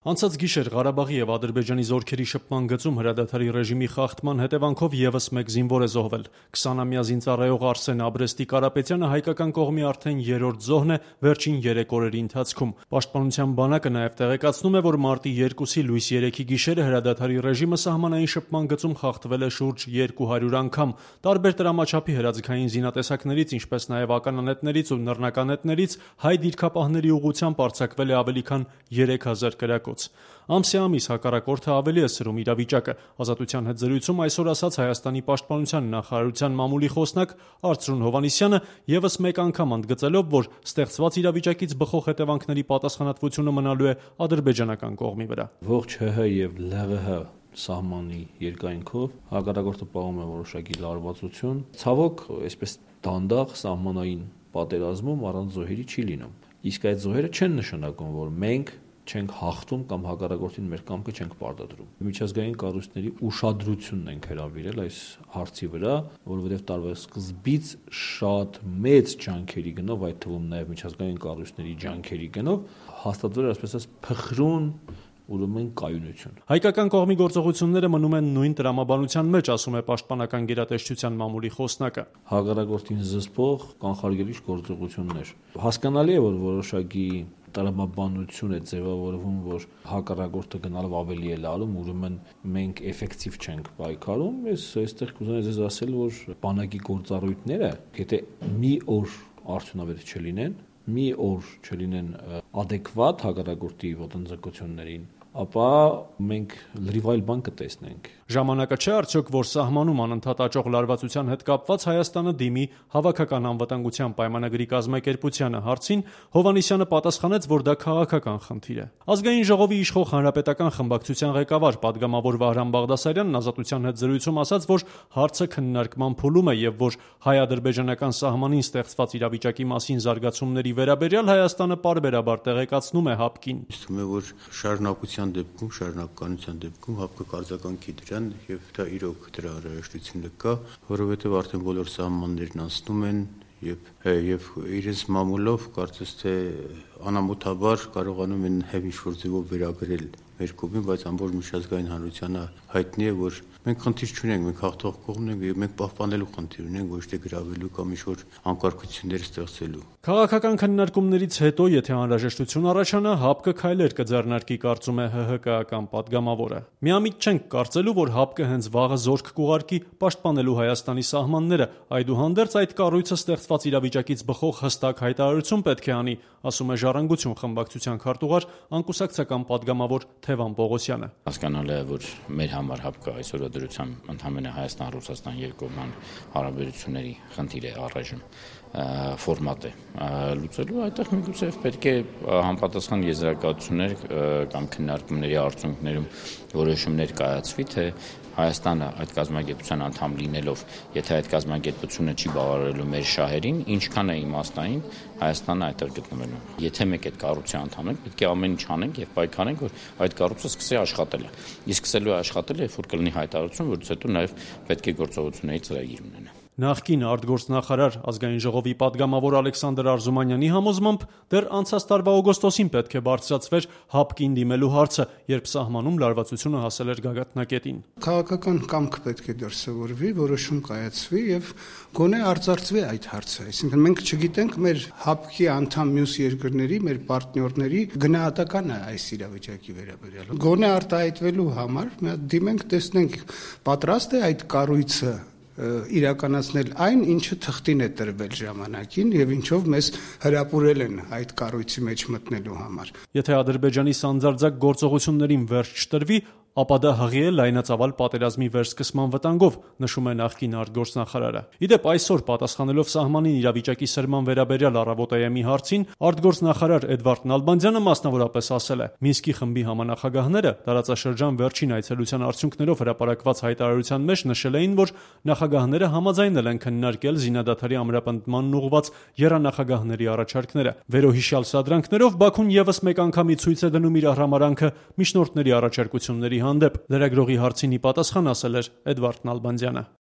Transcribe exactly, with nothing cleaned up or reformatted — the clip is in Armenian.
Անցած գիշեր Ղարաբաղի և Ադրբեջանի զորքերի շփման գծում հրադադարի ռեժիմի խախտման հետևանքով ևս մեկ զինվոր է զոհվել։ քսանամյա զինծառայող Արսեն Աբրեստի Կարապետյանը հայկական կողմի արդեն երրորդ զոհն է վերջին երեք օրերի ընթացքում։ Պաշտպանության բանակը նաև տեղեկացնում է, որ մարտի երկուսի լույս երեքի գիշերը հրադադարի ռեժիմը սահմանային շփման գծում խախտվել է շուրջ երկու հարյուր անգամ։ Տարբեր տրամաչափի հրաձգային զինատեսակներից, ինչպես նաև ականանետներից ու նռնականետներից հայ դիրքապահների ուղղությամբ արձակվել է ավելի քան երեք հազար կրակոց։ Ամսյամիս հակառակորդը ավելի է սրում իրավիճակը։ Ազատության հետ զրույցում այսօր ասաց Հայաստանի պաշտպանության նախարարության մամուլի խոսնակ Արծրուն Հովհաննիսյանը, ևս մեկ անգամ ընդգծելով, որ ստեղծված իրավիճակից բխող հետևանքների պատասխանատվությունը մնալու է ադրբեջանական կողմի վրա։ Ողջ ՀՀ եւ ԼՂՀ սահմանի երկայնքով հակառակորդը պահում է որոշակի լարվածություն։ Ցավոք, այսպես դանդաղ սահմանային պատերազմում առանց զոհերի չի լինում։ Իսկ այդ զոհերը չեն նշանակում, որ մենք չենք հաղթում կամ հակառակորդին մեր կամքը չենք պարտադրում։ Միջազգային կառույցների ուշադրությունն ենք հրավիրել այս հարցի վրա, որովհետև տարվա սկզբից շատ մեծ ջանքերի գնով, այդ թվում նաև միջազգային կառույցների ջանքերի գնով հաստատվել է, այսպես ասած, փխրուն ուրեմն կայունություն։ Հայկական կողմի գործողությունները մնում են նույն տրամաբանության մեջ, ասում է պաշտպանական գերատեսչության մամուլի խոսնակը։ Հակառակորդին զսպող կանխարգելիչ գործողություններ։ Հասկանալի է, որ որոշակի տրամաբանություն է ձևավորվում, որ հակառակորդը գնալով ավելի է լարում, ուրեմն մենք էֆեկտիվ չենք պայքարում։ Ես այստեղ կուզենայի ձեզ ասել, որ բանակի գործառույթները, եթե մի օր արդյունավետ չլինեն, մի օր չլինեն adekvat հակառակորդի ոտնձգություններին, ապա մենք լրիվ այլ բան կտեսնենք։ Ժամանակը չէ արդյոք, որ սահմանում անընդհատ աճող լարվածության հետ կապված Հայաստանը դիմի հավաքական անվտանգության պայմանագրի կազմակերպությանը։ Հարցին Հովհաննիսյանը պատասխանեց, որ դա քաղաքական խնդիր է։ Ազգային ժողովի իշխող հանրապետական խմբակցության ղեկավար պատգամավոր Վահրամ Բաղդասարյանն Ազատության հետ զրույցում ասաց, որ հարցը քննարկման փուլում է եւ որ հայ-ադրբեջանական սահմանին ստեղծված իրավիճակի մասին զարգացումների վերաբերյալ Հայաստանը պարբերաբար տեղեկացնում է ՀԱՊԿ-ին։ Իսկ որ շարունակության դեպքում, շարունակականության դեպքում ՀԱՊԿ-ը կարձականքի դրան եւ դա իրոք դրա անհրաժեշտությունը կա, որովհետեւ արդեն բոլոր սահմաններն անցնում են եւ եւ իրենց մամուլով կարծես թե անամոթաբար կարողանում են հեւ ինչ-որ ձևով վերագրել մեր կողմին, բայց ամբողջ միջազգային հանրությանը հայտնի է, որ մենք խնդիր չունենք, մենք հաղթող կողմն ենք եւ մենք պահպանելու խնդիր ունենք, ոչ թե գրավելու կամ ինչ-որ անկարգություններ ստեղծելու։ Քաղաքական քննարկումներից հետո, եթե անհրաժեշտություն առաջանա, ՀԱՊԿ-ը քայլեր կձեռնարկի, կարծում է ՀՀԿ-ական պատգամավորը։ Միամիտ չենք կարծելու, որ ՀԱՊԿ-ը հենց վաղը զորք կուղարկի պաշտպանելու Հայաստանի սահմանները, այդուհանդերձ այդ կառույցը ստեղծված իրավիճակից բխող հստակ հայտարարություն պետք է անի, ասում է Ժառանգություն խմբակցության քարտուղար անկուսակցական պատգամավոր Թևան Պողոսյանը։ Հասկանալի է, որ մեր համար ՀԱՊԿ-ը այսօրվա դրությամբ ընդհանրապես Հայաստան-Ռուսաստան երկկողմյան հարաբերությունների խնդիր է առայժմ ֆորմատ է լուծելու, այդտեղ միգուցե պետք է համապատասխան եզրակացություններ կամ քննարկումների արդյունքներում որոշումներ կայացվի, թե Հայաստանը այդ կազմակերպության անդամ լինելով, եթե այդ կազմակերպությունը չի բավարարելու մեր շահերին, ինչքան է իմաստային Հայաստանը այդտեղ գտնվելու։ Եթե մեկ այդ կառույցի անդամ ենք, պետք է ամեն ինչ անենք եւ պայքարենք, որ այդ կառույցը սկսի աշխատել։ Իսկ սկսելու է աշխատել, երբ որ կլինի հայտարարություն, որից հետո նաեւ պետք է գործողությունների ծրագիր ունենա։ Նախկին արտգործնախարար ազգային ժողովի պատգամավոր Ալեքսանդր Արզումանյանի համոզմամբ դեռ անցած տարվա օգոստոսին պետք է բարձրացվեր ՀԱՊԿ-ին դիմելու հարցը, երբ սահմանում լարվածությունը հասել էր գագաթնակետին։ Քաղաքական կամք պետք է դրսևորվի, որոշում կայացվի եւ գոնե արծարծվի այդ հարցը։ Այսինքն մենք չգիտենք մեր ՀԱՊԿ-ի անդամ մյուս երկրների, մեր պարտներների գնահատականը այս իրավիճակի վերաբերյալ։ Գոնե արտահայտվելու համար մենք դիմենք, տեսնենք պատրաստ է այդ կառույցը իրականացնել այն, ինչը թղթին է տրվել ժամանակին եւ ինչով մեզ հրապուրել են այդ կառույցի մեջ մտնելու համար։ Եթե Ադրբեջանի սանձարձակ գործողություններին վերջ չտրվի, ապա դա հղի է լայնածավալ պատերազմի վերսկսման վտանգով, նշում է նախկին արտգործնախարարը։ Իդեպ այսօր պատասխանելով սահմանին իրավիճակի սրման վերաբերյալ առավոտայեմի հարցին, արտգործնախարար Էդվարդ Նալբանդյանը մասնավորապես ասել է. Մինսկի խմբի համանախագահները տարածաշրջան վերջին այցելության արդյունքներով հրապարակված հայտարարության մեջ նշել էին, որ նախագահները համաձայնել են քննարկել զինադադարի ամրապնդմանն ուղղված եռանախագահների առաջարկները։ Վերոհիշյալ սադրանքներով Բաքուն ևս մեկ անգամի ցույց է դնում իր հրամարանքը միջնորդների առաջարկությունների հանդեպ։ Լրագրողի հարցին ի պատասխան ասել էր Էդվարդ Նալբանդյանը.